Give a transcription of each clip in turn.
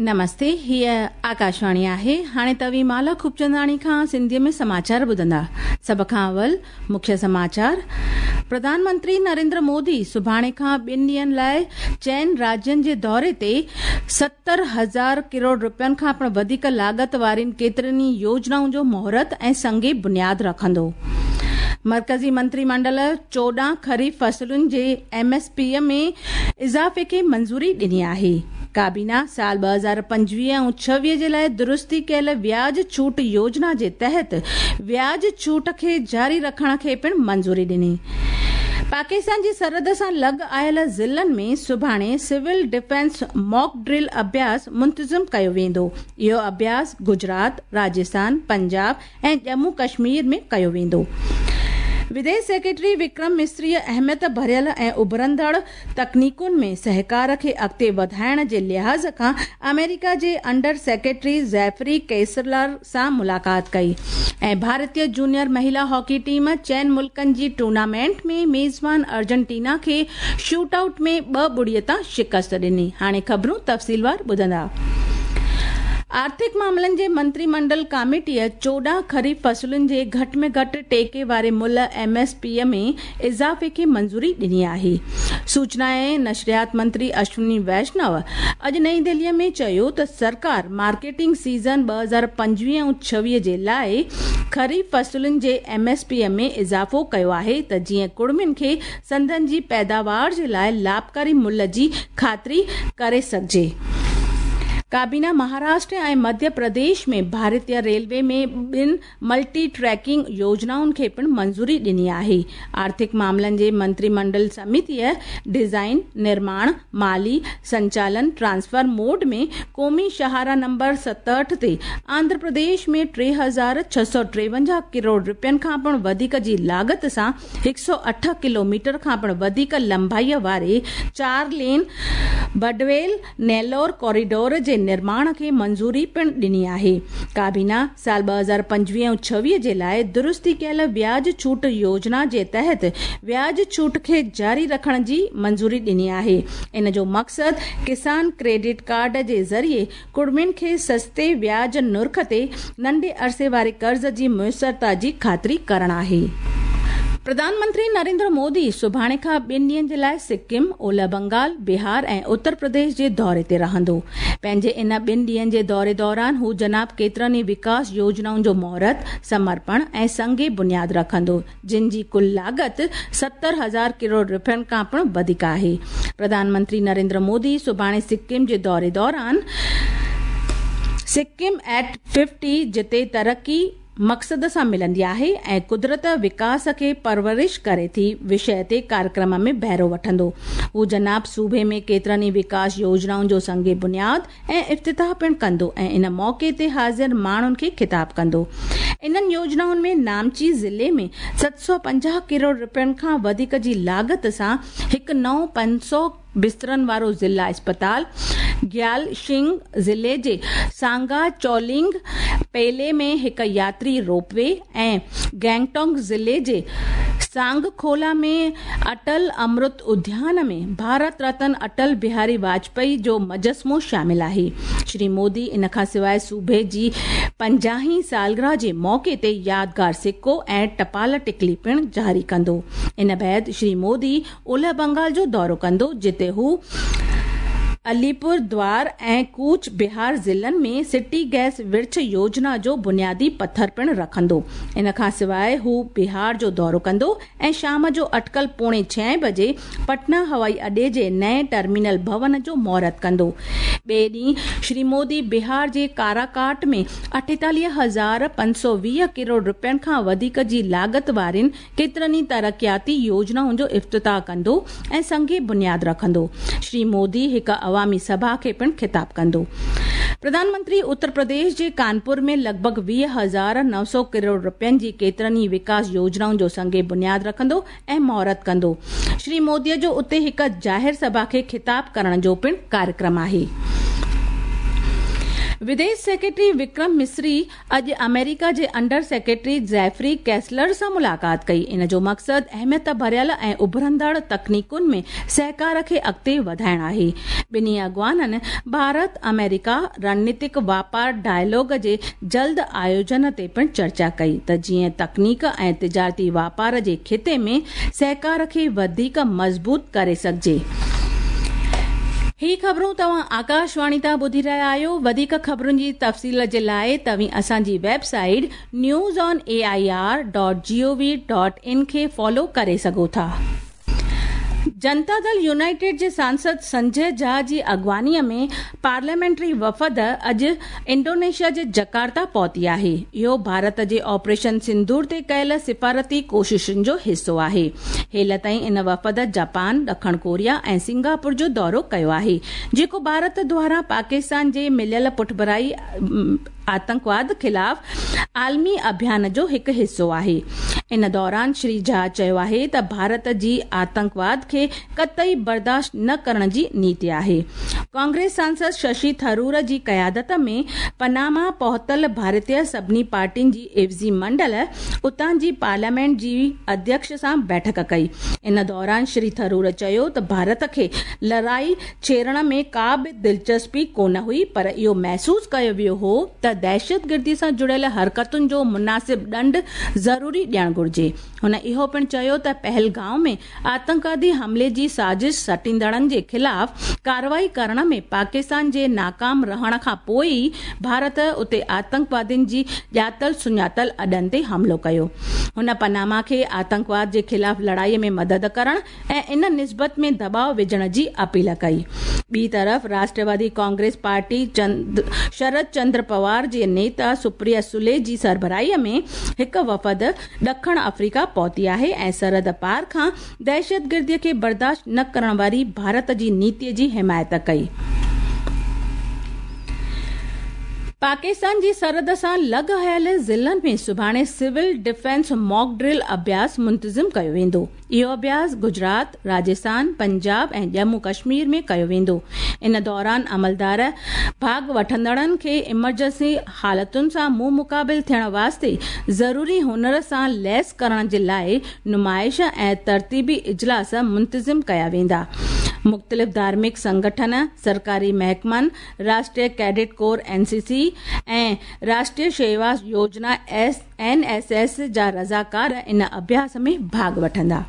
نمستي، هيء آڪاشواڻي آهي. هاڻي توهين مالا خوبچنداڻي کان سنڌيء ۾ سماچار ٻڌندا. سڀ کان اول مکيه سماچار، پرڌان منتري نريندر مودي سڀاڻي کان ٻن ڏينهن لاء چئن راجين جي دوري تي 70,000 ڪروڙ رپين کان پڻ وڌيڪ لاڳت وارين ڪيترين ئي يوجنائن جو مهورت ۽ سنگ بنياد رکندو. مرڪزي منتري منڊل 14 خريف فصلن جي ايم ايس پي ۾ اضافي کي منظوري ڏني آهي. ڪابينا سال 2025 ۽ 26 جي لاء درستي ڪيل وياج ڇوٽ يوجنا جي تحت وياج ڇوٽ کي جاري رکڻ کي پڻ منظوري ڏني. پاڪستان جي سرحد سان لڳ آيل ضلعن ۾ سڀاڻي سول ڊفينس ماڪ ڊرل اڀياس منتظم ڪيو ويندو. اهو اڀياس گجرات، راجسٿان، پنجاب ۽ ڄمون ڪشمير ۾ ڪيو ويندو. وديش سيڪريٽري وڪرم مصريء اهميت ڀريل ۽ اڀرندڙ تڪنيڪن ۾ سهڪار کي اڳتي وڌائڻ جي لحاظ کان آمريڪا جي انڊر سيڪريٽري جيفري ڪيسلر سان ملاقات ڪئي ۽ ڀارتي جونيئر مهيلا هاڪي ٽيم چئن ملڪن جي ٽورنامينٽ ۾ ميزبان ارجنٽينا کي شوٽ آئوٽ ۾ 2-0 تان شڪست ڏني. هاڻي خبرون تفصيلوار ٻڌندا. آرٿڪ معاملن جي منتري منڊل ڪاميٽيء 14 خريف فصلن جي گهٽ ۾ گهٽ ٽيڪي واري ملهه، ايم ايس پي، ۾ اضافي کي منظوري ڏني آهي. سوچنا ۽ نشريات منتري اشوني ويشنو اڄ نئين دهليء ۾ چيو ته سرڪار مارڪيٽنگ سيزن 2025 ۽ 26 جي لاء خريف فصلن جي ايم ايس پي ۾ اضافو ڪيو آهي ته جيئن ڪڙمين کي سندن جي پيداوار جي لاء لاڀڪاري ملهه جي خاطري ڪري سگهجي. ڪابينا مهاراشٽر ۽ مڌيه پرديش ۾ ڀارتيه ريلوي ۾ ٻن ملٽي ٽريڪنگ يوجنائن کي پڻ منظوري ڏني آهي. آرٿڪ معاملن جي منتري منڊل سميتيء ڊيزائن، نرماڻ، مالي سنچالن ٽرانسفر موڊ ۾ قومي شاهراهه نمبر 67 تي آنڌرا پرديش ۾ 3653 ڪروڙ رپين کان پڻ وڌيڪ جي لاڳت سان 108 ڪلوميٽر کان پڻ وڌيڪ لنبائيء واري چار لين بڊويل نيلور ڪوريڊور جي نرماڻ کي منظوري پڻ ڏني آهي. ڪابينا سال 2025 ۽ 26 جي لاء درستي ڪيل وياج ڇوٽ يوجنا جي تحت وياج ڇوٽ کي جاري رکڻ جي منظوري ڏني آهي. ان جو مقصد ڪسان ڪريڊٽ ڪارڊ جي ذريعي ڪڙمين کي سستي وياج نرخ تي ننڍي عرصي واري قرض جي ميسرتا جي خاطري ڪرڻ آهي. پرڌان منتري نريندر مودي سڀاڻي کان ٻن ڏينهن جي لاء سڪم، اولهه بنگال، بهار ۽ اتر پرديش جي دوري تي رهندو. پنهنجي ان ٻن ڏينهن جي دوري دوران هو جناب ڪيترن ئي وڪاس يوجنائن جو مهورت، سمرپڻ ۽ سنگ بنياد رکندو. جن جي ڪل لاڳت 70,000 ڪروڙ رپين کان پڻ وڌيڪ آهي. پرڌان منتري نريندر مودي سڀاڻي سڪم جي دوري دوران سڪم ايٽ ففٽي جتي ترقي مقصد سان ملندي آهي ۽ قدرت وڪاس کي پرورش ڪري ٿي وشيه تي ڪاريڪرم ۾ بهرو وٺندو. هو جناب صوبي ۾ ڪيترن ئي وڪاس يوجنائن جو سنگ بنياد ۽ افتتاح پڻ ڪندو ۽ ان موقعي تي حاضر ماڻهن کي خطاب ڪندو. انهن يوجنائن ۾ نامچي ضلعي ۾ 750 ڪروڙ رپين کان وڌيڪ جي لاڳت سان هڪ نئون 500 بسترن وارو ضلع اسپتال، گيالشنگ ضلعي جي سانگا چولنگ پيلي ۾ هڪ ياتري روپ وي ۽ گينگٽونگ ضلعي جي سانگکولا ۾ اٽل امرت اديان ۾ ڀارت رتن اٽل بهاري واجپائي جو مجسمو شامل آهي. شري مودي ان کان سواء صوبي جي 50 هين سالگرهه جي موقعي تي يادگار سڪو ۽ ٽپال ٽڪلي پڻ جاري ڪندو. ان بعد شري مودي اولهه بنگال جو دورو ڪندو جتي هو عليپور دوار ۽ ڪوچ بهار ضلعن ۾ سٽي گئس ورڇ يوجنا جو بنيادي پٿر پڻ رکندو. ان کان سواء هو بهار جو دورو ڪندو ۽ شام جو اٽڪل پوڻي ڇهين بجي پٽنا هوائي اڏي جي نئين ٽرمينل ڀون جو مهورت ڪندو. ٻئي ڏينهن شري مودي بهار جي ڪاراڪاٽ ۾ 48,520 ڪروڙ رپين کان وڌيڪ جي لاڳت وارين ڪيترن ئي ترقياتي يوجنائن جو افتتاح ڪندو ۽ سنگ بنياد رکندو. شري مودي هڪ عوامي سڀا کي پڻ خطاب ڪندو. پرڌان منتري اتر پرديش جي ڪانپور ۾ لڳ ڀڳ 20,900 ڪروڙ رپين جي ڪيترن ئي وڪاس يوجنائن جو سنگ بنياد رکندو ۽ مهورت ڪندو. شري مودي جو اتي هڪ ظاهر سڀا کي خطاب ڪرڻ جو پڻ ڪاريڪرم آهي. وديش سيڪريٽري وڪرم مصري اڄ آمريڪا جي انڊر سيڪريٽري جيفري ڪيسلر سان ملاقات ڪئي. ان جو مقصد اهميت ڀريل ۽ اڀرندڙ تڪنيڪن ۾ سهڪار کي اڳتي وڌائڻ آهي. ٻنهي اڳواڻن ڀارت آمريڪا رڻنيتڪ واپار ڊائلاگ جي جلد آيوجن تي پڻ چرچا ڪئي ته جيئن تڪنيڪ ۽ تجارتي واپار جي خطي ۾ سهڪار کي وڌيڪ مضبوط ڪري سگهجي. هي خبرون توهان آڪاشواڻي تان ٻڌي رهيا آهيو. وڌيڪ خبرن جي تفصيل جي لاءِ توهين اسان جي web site news on A I R dot G O V dot in کي فالو ڪري سگهو ٿا. جنتا دل يونائيٽيڊ جي سانسد سنجي جها جي اڳواڻيءَ ۾ پارليامينٽري وفد اڄ انڊونيشيا جي جڪارتا پهتي آهي. اهو ڀارت جي آپريشن سندور تي ڪيل سفارتي ڪوششن جو حصو آهي. هيل تائين ان وفد جاپان، ڏکڻ ڪوريا ۽ سنگاپور جو دورو ڪيو آهي، جيڪو ڀارت دواران پاڪستان جي مليل پٺڀرائي آتنڪواد خلاف عالمي اڀيان جو هڪ حصو آهي. ان دوران شري جها چيو آهي ته ڀارت جي آتنڪواد کي قطعي برداشت نه ڪرڻ جي نيتي آهي. ڪانگريس سانسد ششي ٿرور جي قيادت ۾ پناما پهتل ڀارتيه سڀني پارٽين جي عيوضي منڊل اتان جي پارليامينٽ جي اڌيڪش سان بيٺڪ ڪئي. ان دوران شري ٿرور چيو ته ڀارت کي لڙائي ڇيڙڻ ۾ ڪا به دلچسپي ڪونه هئي، پر اهو محسوس ڪيو ويو هو ته دهشتگردي سان جڙيل حرڪتن جو مناسب ڏنڊ ضروري ڏيڻ گهرجي. هن اهو پڻ چيو ته پهلگام ۾ آتنڪوادي حملي جي سازش سٽيندڙن جي خلاف ڪارروائي ڪرڻ ۾ پاڪستان جي ناڪام رهڻ کان پوءِ ئي ڀارت اتي آتنڪوادين جي ڄاتل سڃاتل اڏن تي حملو ڪيو. هن پناما کي آتنڪواد جي خلاف لڙائي ۾ مدد ڪرڻ ۽ ان نسبت ۾ دٻاءُ وجهڻ جي اپيل ڪئي. ٻي طرف راشٽروادي ڪانگريس پارٽي شرد چندر پوار جي نيتا سپريا سلي جي سربراهي ۾ هڪ وفد ڏکڻ آفريڪا پهتي آهي ۽ سرحد پار کان دهشتگردي کي برداشت نه ڪرڻ واري ڀارت جي نيتي جي حمايت ڪئي. پاڪستان جي سرحد سان لڳ هيل ضلعن ۾ سڀاڻي سول ڊفينس ماڪ ڊرل اڀياس منتظم ڪيو ويندو. اهو اڀياس گجرات، راجسٿان، پنجاب ۽ ڄمون ڪشمير ۾ ڪيو ويندو. ان دوران عملدار ڀاڳ وٺندڙن کي ايمرجنسي حالتن سان منهن مقابل ٿيڻ واسطي ضروري هنر سان ليس ڪرڻ جي لاءِ نمائش ۽ ترتيبي اجلاس منتظم ڪيا ويندا. مختلف ڌارمڪ سنگٺن، سرڪاري محڪمن، راشٽريه ڪيڊٽ ڪور اين سي سي ۽ راشٽريه شيوا يوجنا اين ايس ايس جا رضاڪار ان اڀياس ۾ ڀاڳ وٺندا.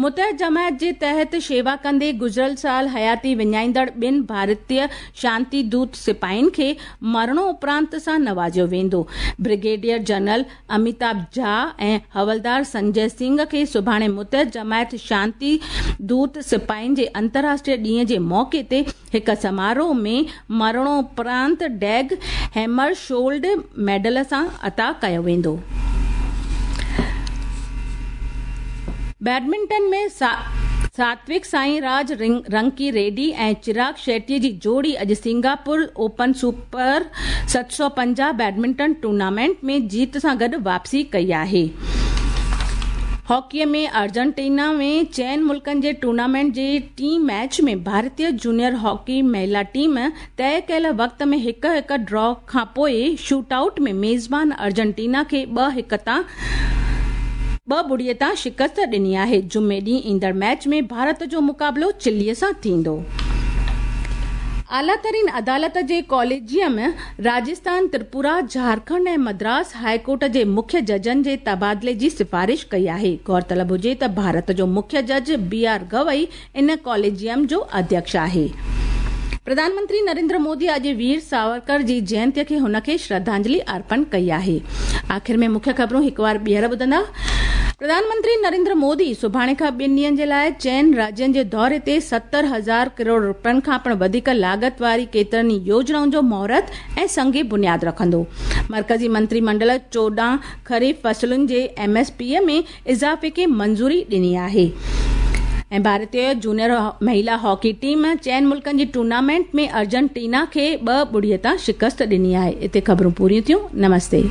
متحد جماعت جي تحت شيوا ڪندي گذريل سال حياتي وڃائيندڙ ٻن ڀارتيه شانتي دوت سپاهين کي مرڻوپرانت سان نوازيو ويندو. برگيڊيئر جنرل اميتاڀ جها ۽ حولدار سنجي سنگهه کي سڀاڻي متحد جماعت شانتي دوت سپاهين جي انترراشٽريه ڏينهن جي موقعي تي هڪ سماروهه ۾ مرڻوپرانت ڊيگ هيمرشولڊ ميڊل سان عطا ڪيو ويندو. بيڊمنٽن ۾ ساتوڪ سائين راج رنڪي ريڊي ۽ چراغ شيٽي جي جوڙي اڄ Singapore open super 750 badminton tournament ۾ جيت سان گڏ واپسي ڪئي آهي. هاڪيءَ ۾ ارجنٽينا ۾ چئن ملڪن جي ٽورنامينٽ جي ٽئين ميچ ۾ ڀارتيه جونيئر هاڪي مهلا ٽيم طئي ڪيل وقت ۾ 1-1 ڊرا کان پوءِ شوٽ آئوٽ ۾ ميزبان ارجنٽينا کي 2-ٻڙي تان شڪست ڏني آهي. جمعي ڏينهن ايندڙ ميچ ۾ ڀارت جو مقابلو چلي سان ٿيندو. اعليٰ ترين عدالت جي ڪاليجيم راجسٿان، تريپورا، جهارکنڊ ۽ مدراس هاءِ ڪورٽ جي مکيه ججن جي تبادلي جي سفارش ڪئي آهي. غور طلب هجي ته ڀارت جو مکيه جج بي آر گوئي ان ڪاليجيم جو اڌيڪش آهي. پرڌان منتري نريندر مودي اڄ وير ساورڪر جي جينتيءَ کي هن کي شرڌانجلي ارپڻ ڪئي آهي. آخر ۾ مکيه خبرون هڪ وار ٻيهر ٻڌندا. پرڌان منتري نريندر مودي سڀاڻي کان 2 ڏينهن جي لاءِ چئن راجين جي دوري تي 70,000 ڪروڙ رپين کان پڻ وڌيڪ لاڳت واري ڪيترن ئي يوجنائن جو مهورت ۽ سنگ بنياد رکندو. مرڪزي منتري منڊل 14 خريف فصلن جي ايم ايس پي ۾ اضافي کي منظوري ڏني آهي. ۽ ڀارتيه جونيئر مهلا هاڪي ٽيم چئن ملڪن جي ٽورنامينٽ ۾ ارجنٽينا کي 2-ٻڙي تان شڪست ڏني آهي. اتي خبرون پوريون ٿيون. نمستي.